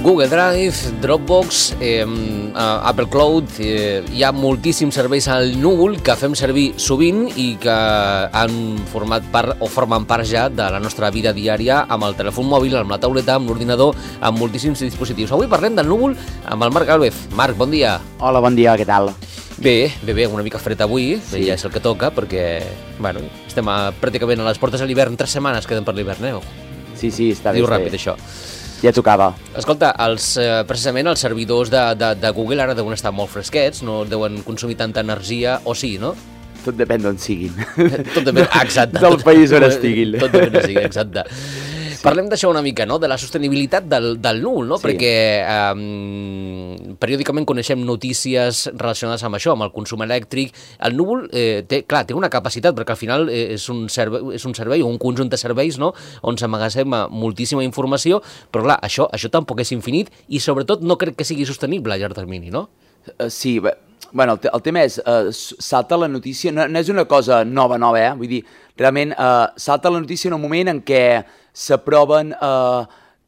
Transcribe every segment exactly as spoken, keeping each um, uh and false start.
Google Drive, Dropbox, eh, Apple Cloud, eh, hi ha moltíssims serveis al núvol que fem servir sovint i que han format part o formen part ja de la nostra vida diària amb el telèfon mòbil, amb la tauleta, amb l'ordinador, amb moltíssims dispositius. Avui parlem del núvol amb el Marc Gálvez. Marc, bon dia. Hola, bon dia, què tal? Bé, bé, bé, una mica fred avui, sí. Ja és el que toca, perquè, bueno, estem a, pràcticament a les portes de l'hivern, tres setmanes queden per l'hivern, eh? Sí, sí, està bé. Diu ràpid, això. Ja tocava. Escolta, els, eh, precisament els servidors de, de, de Google ara deuen estar molt fresquets, no deuen consumir tanta energia, o sí, no? Tot depèn d'on siguin. Tot depèn, exacte. Del país on estiguin. Tot depèn d'on siguin, exacte. Sí. Parlem d'això una mica, no?, de la sostenibilitat del, del núvol, no? Sí. Perquè eh, periòdicament coneixem notícies relacionades amb això, amb el consum elèctric. El núvol, eh, té, clar, té una capacitat, perquè al final eh, és, un servei, és un servei o un conjunt de serveis, no?, on s'emmagatzema moltíssima informació, però clar, això, això tampoc és infinit i sobretot no crec que sigui sostenible a llarg termini, no? Uh, sí, bé, bueno, el, te el tema és, uh, salta la notícia, no, no és una cosa nova, nova, eh? Vull dir, realment uh, salta la notícia en un moment en què s'aproven uh,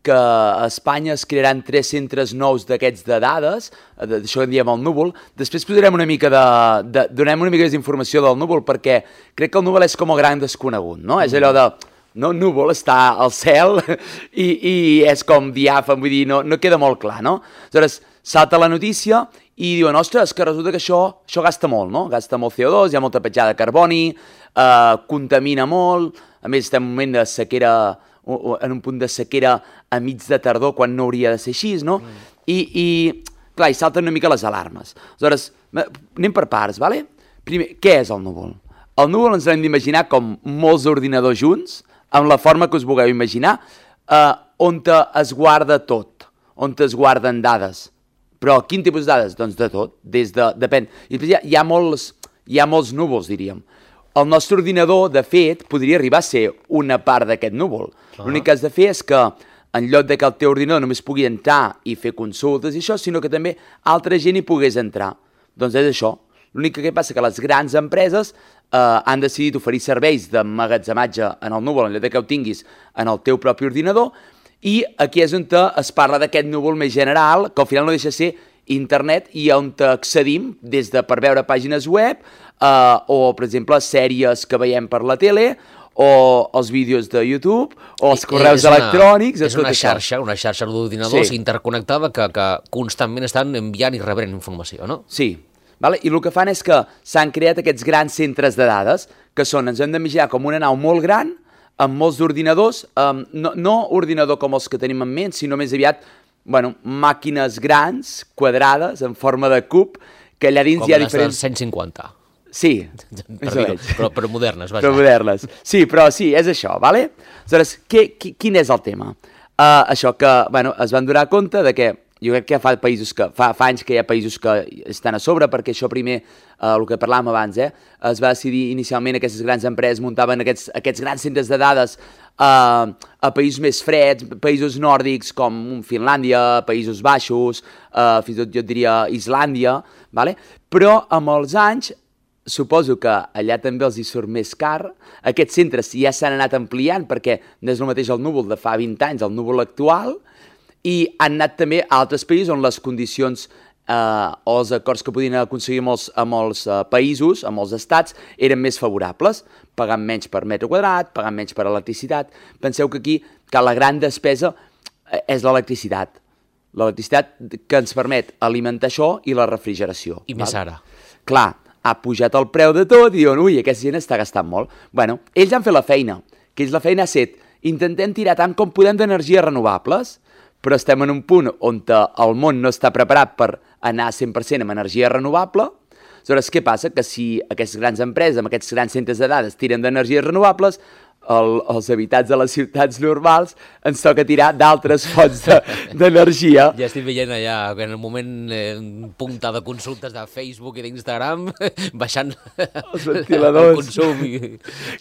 que a Espanya es crearan tres centres nous d'aquests de dades, d'això que en diem el núvol. Després posarem una mica de, de, donem una mica més d'informació del núvol, perquè crec que el núvol és com el gran desconegut, no? Mm. És allò de, no, núvol està al cel i, i és com diàfan, vull dir, no, no queda molt clar, no? Aleshores, salta la notícia i diuen, ostres, que resulta que això, això gasta molt, no? Gasta molt C O dos, hi ha molta petjada de carboni, eh, contamina molt, a més estem en un moment de sequera, en un punt de sequera a mig de tardor, quan no hauria de ser així, no? Mm. I, i, clar, hi salten una mica les alarmes. Aleshores, anem per parts, vale? Primer, què és el núvol? El núvol ens l'hem d'imaginar com molts ordinadors junts, amb la forma que us vulgueu imaginar, eh, on es guarda tot, on es guarden dades. Però quin tipus de dades? Doncs de tot, des de... depèn. I després hi ha, hi ha, molts, hi ha molts núvols, diríem. El nostre ordinador, de fet, podria arribar a ser una part d'aquest núvol. Uh-huh. L'únic que has de fer és que, en lloc de que el teu ordinador només pugui entrar i fer consultes i això, sinó que també altra gent hi pogués entrar. Doncs és això. L'únic que passa que les grans empreses eh, han decidit oferir serveis d'emmagatzematge en el núvol, en lloc de que ho tinguis en el teu propi ordinador, i aquí és on es parla d'aquest núvol més general, que al final no deixa de ser internet i on accedim des de per veure pàgines web eh, o, per exemple, sèries que veiem per la tele o els vídeos de YouTube o els correus una, electrònics. És una xarxa, una xarxa d'ordinadors sí. interconnectada que, que constantment estan enviant i rebent informació, no? Sí. Vale? I el que fan és que s'han creat aquests grans centres de dades que són, ens hem d'imaginar com una nau molt gran amb molts d'ordinadors, um, no, no ordinador com els que tenim en ment, sinó més aviat, bueno, màquines grans, quadrades, en forma de cub, que allà dins com hi ha les diferents... dels cent cinquanta. Sí. Per dir, però, però modernes, vaja. Però modernes. Sí, però sí, és això, vale? Aleshores, què, qui, quin és el tema? Uh, això que, bueno, es van donar compte de que jo crec que fa països que fa, fa anys que hi ha països que estan a sobre, perquè això primer, eh, el que parlàvem abans, eh, es va decidir inicialment aquestes grans empreses muntaven aquests, aquests grans centres de dades eh, a països més freds, països nòrdics com Finlàndia, Països Baixos, eh, fins i tot jo diria Islàndia, vale? Però amb els anys suposo que allà també els hi surt més car. Aquests centres ja s'han anat ampliant perquè no és el mateix el núvol de fa vint anys, el núvol actual, i han anat també a altres països on les condicions eh, o els acords que podien aconseguir amb els, amb els eh, països, amb els estats, eren més favorables, pagant menys per metre quadrat, pagant menys per electricitat. Penseu que aquí que la gran despesa eh, és l'electricitat. L'electricitat que ens permet alimentar això i la refrigeració. I més ara. Clar, ha pujat el preu de tot i diuen, ui, aquesta gent està gastant molt. Bueno, ells han fet la feina, que ells la feina ha set, intentem tirar tant com podem d'energies renovables, però estem en un punt on el món no està preparat per anar cent per cent amb energia renovable. Aleshores, què passa? Que si aquestes grans empreses, amb aquests grans centres de dades, tiren d'energies renovables, el, els habitants de les ciutats normals ens toca tirar d'altres fonts d'energia. De, ja estic veient allà, en el moment eh, punta de consultes de Facebook i d'Instagram, baixant els ventiladors. El consum. I,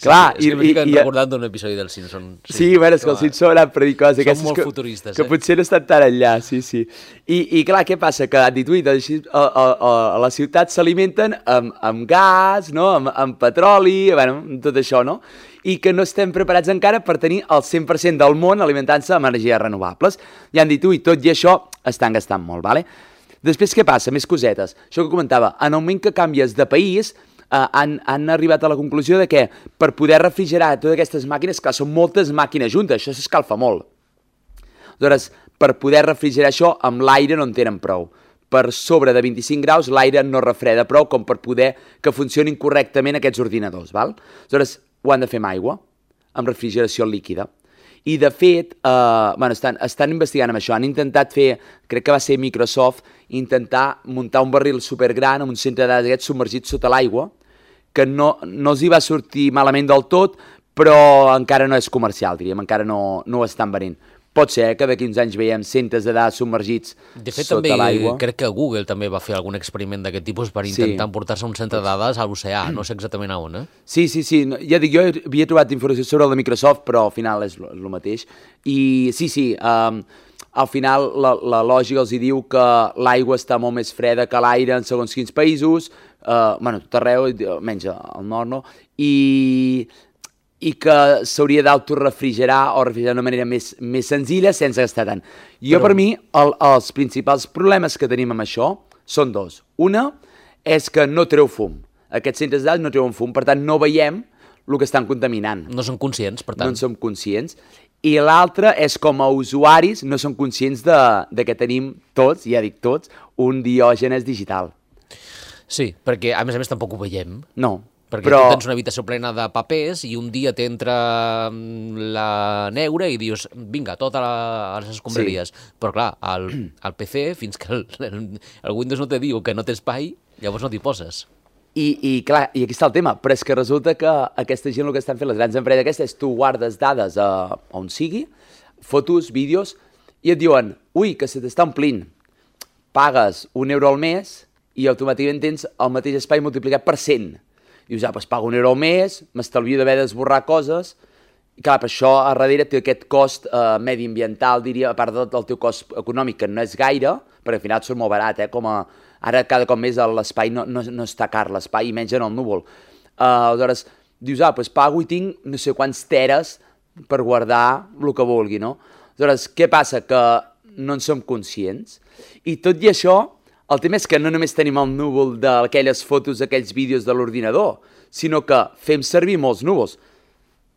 clar, sí, i, i, i recordant d'un episodi del Simpson. Sí, sí bueno, és que els Simpson han predit coses són molt que, futuristes, que eh? potser no estan tan enllà, sí, sí. I, i clar, què passa? Que han dit, ui, doncs, a, a, a, a les ciutats s'alimenten amb, amb gas, no? amb, amb petroli, bueno, tot això, no? I que no estem preparats encara per tenir el cent per cent del món alimentant-se amb energies renovables. I han dit, ui, tot i això, estan gastant molt, vale? Després què passa? Més cosetes. Això que comentava, en el moment que canvies de país, eh, han, han arribat a la conclusió de que per poder refrigerar totes aquestes màquines, clar, són moltes màquines juntes, això s'escalfa molt. Aleshores, per poder refrigerar això, amb l'aire no en tenen prou. Per sobre de vint-i-cinc graus, l'aire no refreda prou com per poder que funcionin correctament aquests ordinadors, val? Aleshores, ho han de fer amb aigua, amb refrigeració líquida. I, de fet, eh, bueno, estan, estan investigant amb això. Han intentat fer, crec que va ser Microsoft, intentar muntar un barril supergran amb un centre de dades aquests submergit sota l'aigua, que no, no els hi va sortir malament del tot, però encara no és comercial, diríem, encara no, no ho estan venent. Pot ser eh, que d'aquí uns anys veiem centres de dades submergits de fet, sota l'aigua. Crec que Google també va fer algun experiment d'aquest tipus per intentar sí. emportar-se un centre de dades a l'oceà, no sé exactament a on, eh? Sí, sí, sí, ja dic, jo havia trobat informació sobre el de Microsoft, però al final és el mateix. I sí, sí, um, al final la, la lògica els hi diu que l'aigua està molt més freda que l'aire en segons quins països, uh, bueno, tot arreu, almenys al nord, no? I... i que s'hauria d'autorefrigerar o refrigerar d'una manera més, més senzilla sense gastar tant. Jo, Però... per mi, el, els principals problemes que tenim amb això són dos. Una és que no treu fum. Aquests centres de dades no treuen fum, per tant, no veiem el que estan contaminant. No som conscients, per tant. No en som conscients. I l'altra és com a usuaris no som conscients de, de que tenim tots, ja dic tots, un diògenes digital. Sí, perquè a més a més tampoc ho veiem. No. Perquè però... tu tens una habitació plena de papers i un dia t'entra la neura i dius, vinga, totes les escombraries. Sí. Però clar, al, al P C, fins que el, el Windows no te diu que no té espai, llavors no t'hi poses. I, i clar, i aquí està el tema, però és que resulta que aquesta gent el que estan fent, les grans empreses aquestes, tu guardes dades a, a on sigui, fotos, vídeos, i et diuen, ui, que se t'està omplint. Pagues un euro al mes i automàticament tens el mateix espai multiplicat per cent. Dius, ah, doncs pago un euro al mes, m'estalvio d'haver d'esborrar coses, i clar, per això a darrere té aquest cost eh, mediambiental, diria, a part del, del teu cost econòmic, que no és gaire, perquè al final surt molt barat, eh, com a... Ara cada cop més l'espai no, no, no està car, l'espai, i menys en el núvol. Uh, aleshores, dius, ah, doncs pago i tinc no sé quants teres per guardar el que vulgui, no? Aleshores, què passa? Que no en som conscients, i tot i això, el tema és que no només tenim el núvol d'aquelles fotos, aquells vídeos de l'ordinador, sinó que fem servir molts núvols.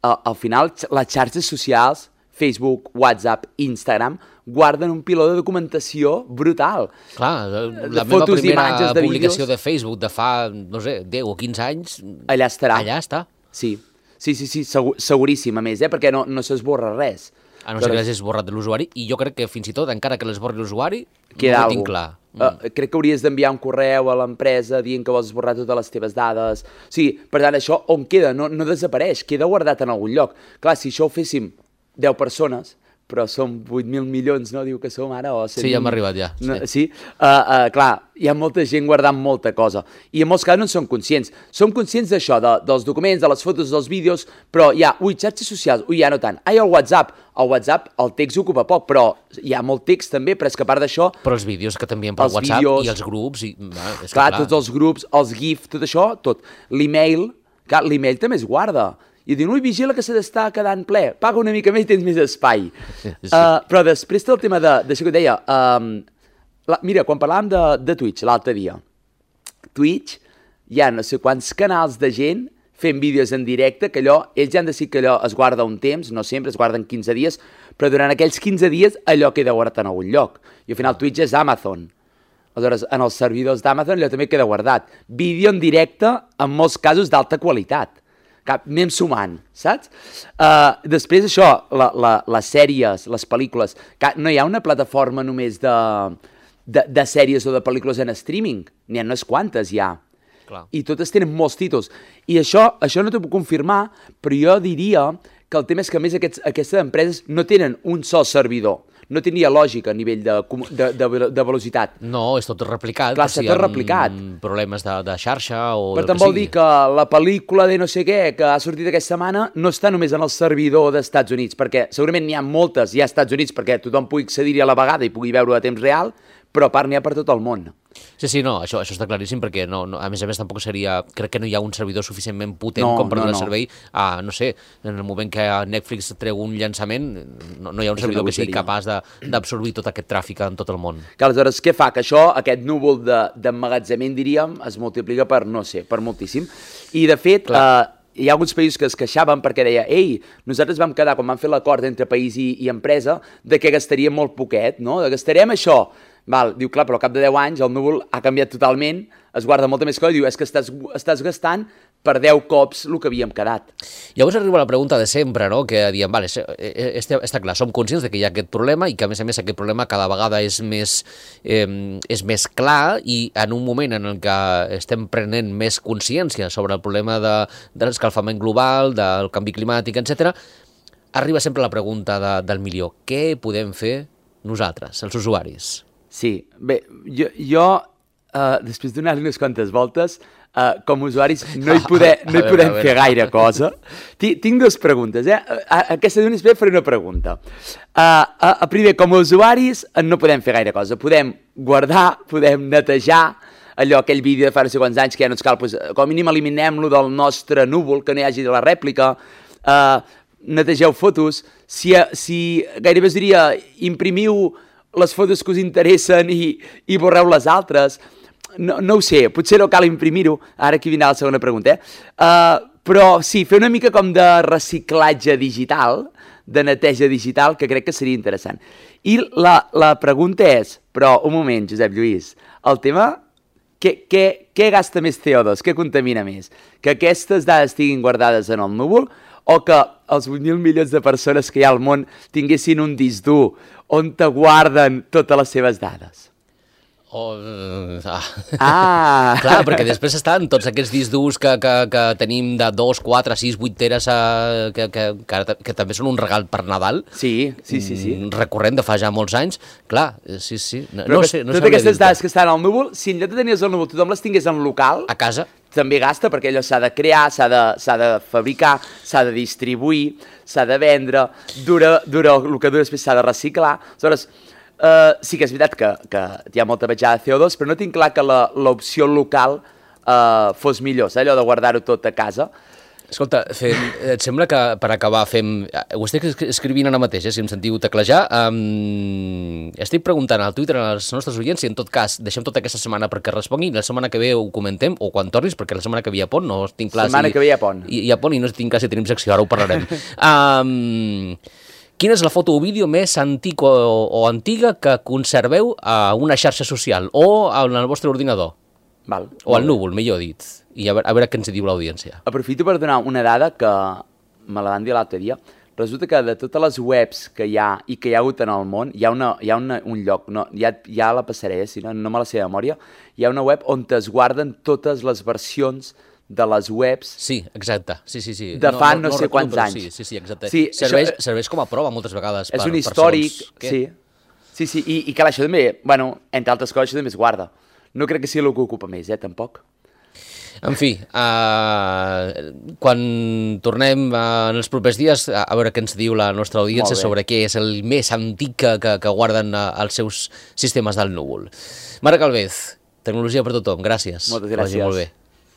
Al, al final, les xarxes socials, Facebook, WhatsApp, Instagram, guarden un piló de documentació brutal. Clar, la meva primera publicació de Facebook de fa, no sé, deu o quinze anys... Allà estarà. Allà està. Sí, sí, sí, sí segur, seguríssim, a més, eh? Perquè no, no s'esborra res. A no ser que l'hagis esborrat de l'usuari, i jo crec que fins i tot, encara que l'esborri l'usuari, no ho tinc clar. Mm. Uh, crec que hauries d'enviar un correu a l'empresa dient que vols esborrar totes les teves dades. Sí, per tant, això on queda? No, no desapareix, queda guardat en algun lloc. Clar, si això ho féssim deu persones, però som vuit mil milions, no? Diu que som ara, o cent mil... Sí, ja hem arribat, ja. No, sí, uh, uh, clar, hi ha molta gent guardant molta cosa. I en molts casos no en som conscients. Som conscients d'això, de, dels documents, de les fotos, dels vídeos, però hi ha, ui, xarxes socials, ui, ja no tant. Ai, el WhatsApp, el WhatsApp, el text ocupa poc, però hi ha molt text també, però és que a part d'això... Però els vídeos que t'envien per WhatsApp vídeos, i els grups... I, va, és clar, clar, tots els grups, els GIF, tot això, tot. L'email, clar, l'email també es guarda. I diuen, ui, vigila que se t'està quedant ple, paga una mica més i tens més espai. Sí. Uh, però després té el tema d'això que et deia, um, la, mira, quan parlàvem de, de Twitch l'altre dia, Twitch hi ha no sé quants canals de gent fent vídeos en directe, que allò, ells ja han decidit que allò es guarda un temps, no sempre, es guarden quinze dies, però durant aquells quinze dies allò queda guardat en algun lloc. I al final Twitch és Amazon. Aleshores, en els servidors d'Amazon allò també queda guardat. Vídeo en directe, en molts casos d'alta qualitat. Cap, anem sumant, saps? Uh, després això, la, la, les sèries, les pel·lícules, que no hi ha una plataforma només de, de, de sèries o de pel·lícules en streaming, n'hi ha unes quantes ja. Clar. I totes tenen molts títols. I això, això no t'ho puc confirmar, però jo diria que el tema és que a més aquests, aquestes empreses no tenen un sol servidor. No tenia lògica a nivell de, de, de, de velocitat. No, és tot replicat. Clar, està tot replicat. Problemes de, de xarxa o per del tant, que vol sigui. dir que la pel·lícula de no sé què que ha sortit aquesta setmana no està només en el servidor dels Estats Units, perquè segurament n'hi ha moltes ja als Estats Units perquè tothom pugui accedir-hi a la vegada i pugui veure a temps real, però a part n'hi ha per tot el món. Sí, sí, no, això, això està claríssim, perquè no, no, a més a més tampoc seria... Crec que no hi ha un servidor suficientment potent no, com per no, donar no. servei a, no sé, en el moment que Netflix treu un llançament, no, no hi ha un És servidor que sigui capaç d'absorbir tot aquest tràfic en tot el món. Que aleshores, què fa? Que això, aquest núvol d'emmagatzement, diríem, es multiplica per, no sé, per moltíssim. I, de fet, eh, hi ha alguns països que es queixaven perquè deia, ei, nosaltres vam quedar, quan vam fer l'acord entre país i, i empresa, de que gastaríem molt poquet, no? De gastarem això. Val, diu, clar, però al cap de deu anys el núvol ha canviat totalment, es guarda molta més cosa i diu, és que estàs, estàs gastant per deu cops el que havíem quedat. Llavors arriba la pregunta de sempre, no? Que diem, vale, està, està clar, som conscients de que hi ha aquest problema i que, a més a més, aquest problema cada vegada és més, eh, és més clar, i en un moment en el que estem prenent més consciència sobre el problema de, de l'escalfament global, del canvi climàtic, etcètera, arriba sempre la pregunta de, del milió. Què podem fer nosaltres, els usuaris? Sí, bé, jo, jo uh, després de donar-li unes quantes voltes, uh, com a usuaris no hi, poder, no hi podem fer gaire cosa. Tinc, tinc dues preguntes, eh? A, aquesta d'una espera faré una pregunta. Uh, a, a primer, com a usuaris no podem fer gaire cosa. Podem guardar, podem netejar, allò, aquell vídeo de fa no sé quants anys que ja no ens cal, doncs, com a mínim eliminem-lo del nostre núvol, que no hi hagi de la rèplica, uh, netegeu fotos, si, si gairebé us diria, imprimiu les fotos que us interessen i, i borreu les altres. No, no ho sé, potser no cal imprimir-ho. Ara aquí vindrà la segona pregunta. Eh? Uh, però sí, fer una mica com de reciclatge digital, de neteja digital, que crec que seria interessant. I la, la pregunta és, però un moment, Josep Lluís, el tema, què, què, què gasta més C O dos? Què contamina més? Que aquestes dades estiguin guardades en el núvol o que els vuit mil milions de persones que hi ha al món tinguessin un disc dur on te guarden totes les seves dades? Oh, ah. ah. Clar, perquè després estan tots aquests discs durs que, que, que tenim de dos, quatre, sis, vuit teres a, que, que, que, que també són un regal per Nadal. Sí, sí, sí, sí. Recurrent de fa ja molts anys. Clar, sí, sí. No, Però no que, sé, no totes aquestes dades que estan al núvol, si en lloc de tenir-les al núvol tothom les tingués en local, a casa, també gasta, perquè allò s'ha de crear, s'ha de, s'ha de fabricar, s'ha de distribuir, s'ha de vendre, dura, dura el que dura després s'ha de reciclar. Aleshores, Uh, sí que és veritat que, que hi ha molta petjada de C O dos, però no tinc clar que l'opció local uh, fos millor, saps? Allò de guardar-ho tot a casa. Escolta, fem, et sembla que per acabar fem... Ho estic escrivint ara mateix, eh, si em sentiu teclejar. Um, estic preguntant al Twitter als nostres oients si en tot cas deixem tota aquesta setmana perquè responguin, la setmana que ve ho comentem, o quan tornis, perquè la setmana que ve hi ha pont, no tinc clar... La setmana si, que ve hi ha pont. Hi, hi ha pont i no tinc clar si tenim secció, ara ho parlarem. Um, Quina és la foto o vídeo més antic o, o antiga que conserveu a una xarxa social o en el vostre ordinador? Val. O al núvol, millor dit. I a veure, a veure què ens diu l'audiència. Aprofito per donar una dada que me la van dir l'altre dia. Resulta que de totes les webs que hi ha i que hi ha hagut en el món, hi ha, una, hi ha una, un lloc, no, ja, ja la passaré, si no, no me la sé de memòria, hi ha una web on es guarden totes les versions de les webs... Sí, exacte. Sí, sí, sí. De fa no, no, no sé quants però, anys. Sí, sí, sí, exacte. Sí, serveix, això, serveix com a prova moltes vegades. És per, un històric, per sí. Sí, sí, i, i clar, això també, bueno, entre altres coses, això també es guarda. No crec que sigui el que ocupa més, eh, tampoc. En fi, uh, quan tornem uh, en els propers dies, a veure què ens diu la nostra audiència sobre què és el més antic que, que, que guarden uh, els seus sistemes del núvol. Marc Alvez, Tecnologia per tothom, gràcies. Moltes gràcies. Que vagi molt bé.